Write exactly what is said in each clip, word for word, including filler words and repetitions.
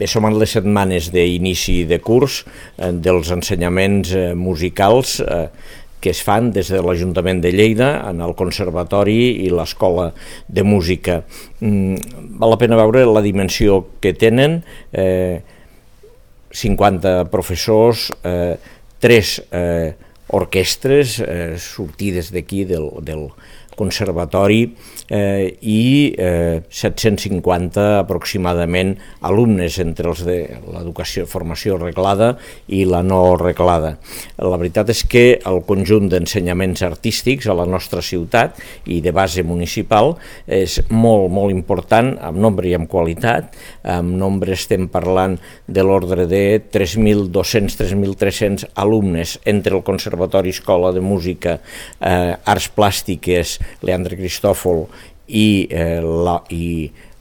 som en les setmanes d'inici de curs eh, dels ensenyaments eh, musicals eh, que es fan des de l'Ajuntament de Lleida en el Conservatori i l'Escola de Música. Mm, val la pena veure la dimensió que tenen, eh, cinquanta professors, eh, tres eh, orquestres eh, sortides d'aquí del, del Conservatori eh, i eh, set-cents cinquanta aproximadament alumnes entre els de l'educació, formació reglada i la no reglada. La veritat és que el conjunt d'ensenyaments artístics a la nostra ciutat i de base municipal és molt, molt important en nombre i en qualitat. En nombre estem parlant de l'ordre de tres mil dos-cents a tres mil tres-cents alumnes entre el Conservatori, Escola de Música, eh, Arts Plàstiques, Leandre Cristòfol i eh,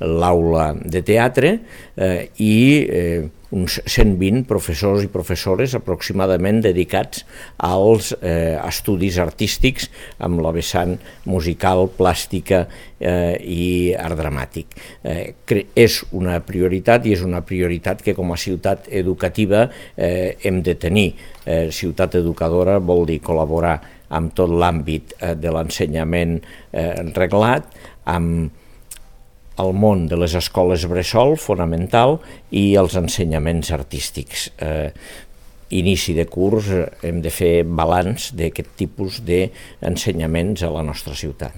l'aula de teatre eh, i eh, uns cent vint professors i professores aproximadament dedicats als eh, estudis artístics amb la vessant musical, plàstica eh, i art dramàtic. Eh, és una prioritat i és una prioritat que com a ciutat educativa eh, hem de tenir. Eh, ciutat educadora vol dir col·laborar amb tot l'àmbit eh, de l'ensenyament eh, reglat, amb el món de les escoles bressol, fonamental, i els ensenyaments artístics. Eh, inici de curs, hem de fer balanç d'aquest tipus d'ensenyaments a la nostra ciutat.